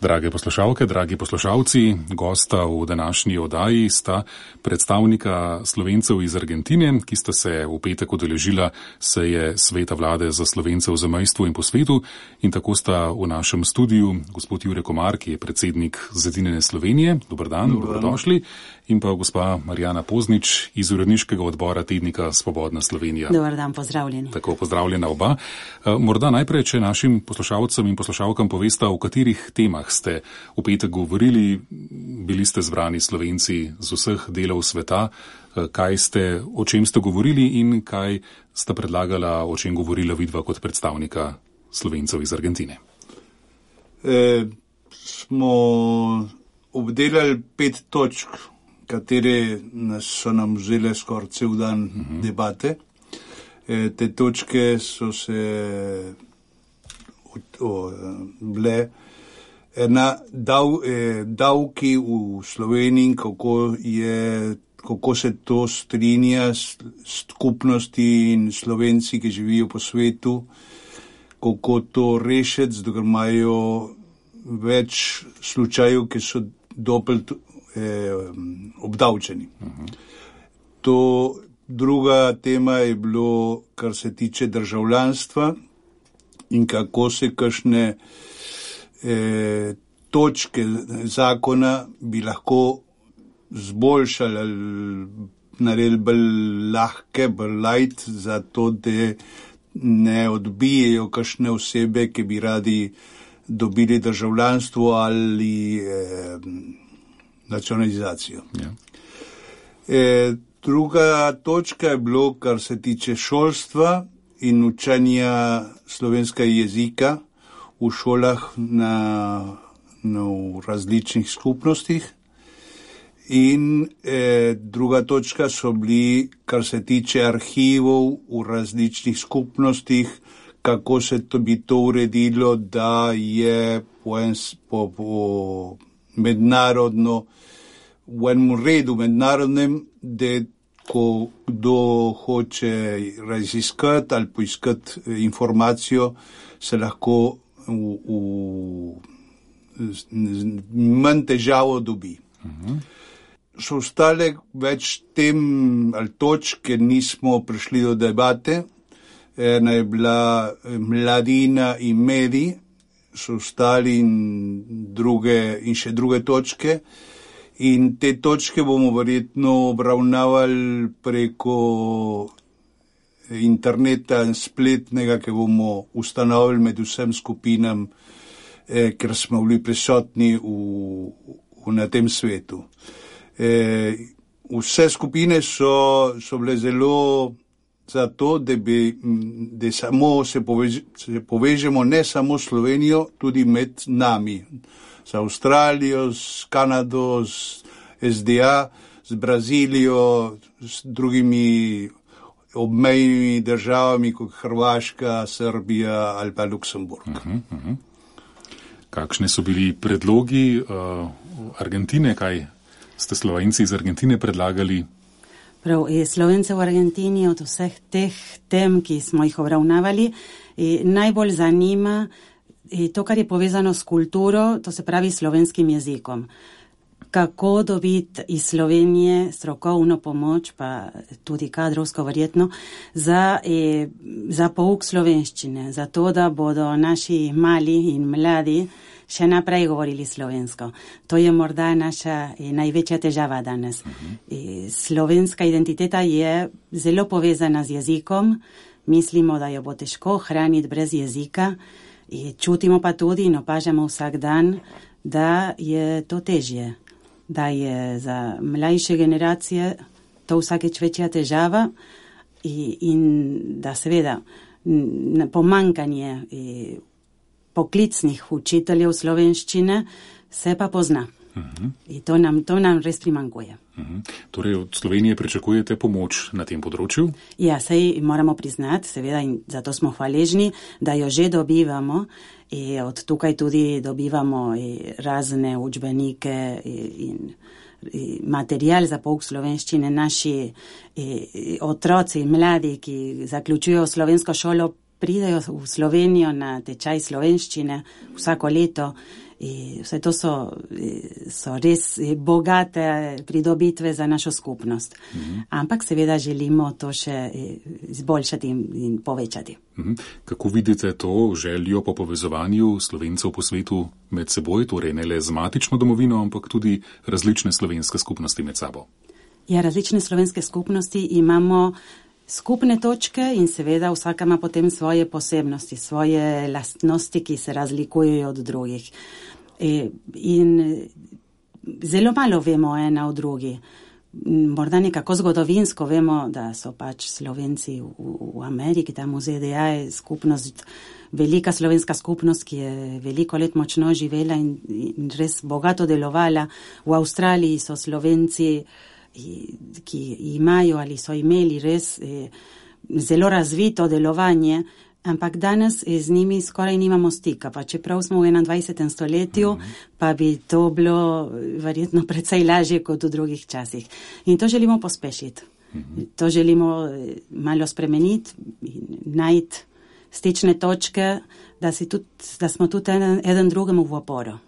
Drage poslušalke, dragi poslušalci, gosta v današnji oddaji sta predstavnika Slovencev iz Argentine, ki sta se v petek udeležila seje Sveta vlade za Slovence v zamejstvu in po svetu, in tako sta v našem studiu gospod Jure Komar, ki je predsednik Zedinjene Slovenije. Dober dan, dobrodošli. In pa gospa Marjana Poznič iz uredniškega odbora tednika Svobodna Slovenija. Dobar dan, pozdravljeni. Tako, pozdravljena oba. Morda najprej, če našim poslušalcem in poslušalkam povesta, o katerih temah ste v petek govorili. Bili ste zbrani Slovenci z vseh delov sveta. O čem ste govorili in kaj sta predlagala, o čem govorila vidva kot predstavnika Slovencev iz Argentine? Smo obdelali 5 točk, katere so nam vzele skoraj cel dan debate. Te točke so se bile davki v Sloveniji, kako se to strinja s skupnosti in Slovenci, ki živijo po svetu, kako to rešiti, zato ker imajo več slučajev, ki so dopelt obdavčeni. Druga tema je bilo, kar se tiče državljanstva in kako se kakšne točke zakona bi lahko zboljšali ali naredili bolj lahke, bolj light, zato da ne odbijejo kakšne osebe, ki bi radi dobili državljanstvo ali nacionalizacijo. Ja. Druga točka je bilo, kar se tiče šolstva in učenja slovenskega jezika v šolah v različnih skupnostih. In druga točka so bili, kar se tiče arhivov v različnih skupnostih, kako se bi to uredilo, da je po mednarodno, v enem redu mednarodnem, da ko kdo hoče raziskati ali poiskati informacijo, se lahko manj težavo dobi. So ostale več tem ali točk, ker nismo prišli do debate. Ena je bila mladina in mediji, so ostali in še druge točke. In te točke bomo verjetno obravnavali preko interneta in spletnega, ki bomo ustanovili med vsem skupinam, ker smo bili prisotni na tem svetu. Vse skupine so bile zelo za to, da samo se povežemo ne samo s Slovenijo, tudi med nami. Z Avstralijo, s Kanado, s SDA, z Brazilijo, s drugimi obmejnimi državami, kot Hrvaška, Srbija ali pa Luksemburg. Kakšni so bili predlogi Argentine? Kaj ste Slovenci iz Argentine predlagali? Prav, Slovence v Argentini od vseh teh tem, ki smo jih obravnavali, najbolj zanima to, kar je povezano s kulturo, to se pravi slovenskim jezikom. Kako dobiti iz Slovenije strokovno pomoč, pa tudi kadrovsko verjetno, za pouk slovenščine, za to, da bodo naši mali in mladi še naprej govorili slovensko. To je morda naša največja težava danes. Slovenska identiteta je zelo povezana z jezikom. Mislimo, da jo bo težko hraniti brez jezika. Čutimo pa tudi in opažamo vsak dan, da je to težje, da je za mlajše generacije to vsakeč večja težava in da seveda pomankanje poklicnih učiteljev slovenščine se pa pozna. In to nam res primanjkuje. Torej od Slovenije pričakujete pomoč na tem področju? Ja, sej moramo priznati, seveda, in zato smo hvaležni, da jo že dobivamo. Od tukaj tudi dobivamo razne učbenike in material za pouk slovenščine. Naši otroci, mladi, ki zaključujejo slovensko šolo, pridejo v Slovenijo na tečaj slovenščine vsako leto Vse to so res bogate pridobitve za našo skupnost. Ampak seveda želimo to še izboljšati in povečati. Kako vidite to željo po povezovanju Slovencev po svetu med seboj, torej ne le z matično domovino, ampak tudi različne slovenske skupnosti med sabo? Ja, različne slovenske skupnosti imamo skupne točke in seveda vsaka ima potem svoje posebnosti, svoje lastnosti, ki se razlikujejo od drugih. In zelo malo vemo ena o drugi. Morda nekako zgodovinsko vemo, da so pač Slovenci v Ameriki, tam v ZDA je skupnost, velika slovenska skupnost, ki je veliko let močno živela in res bogato delovala. V Avstraliji so Slovenci, ki imajo ali so imeli res zelo razvito delovanje, ampak danes z njimi skoraj nimamo stika, pa čeprav smo v 21. stoletju, pa bi to bilo verjetno precej lažje kot v drugih časih. In to želimo pospešiti. To želimo malo spremeniti in najti stične točke, da smo tudi eden drugemu v oporo.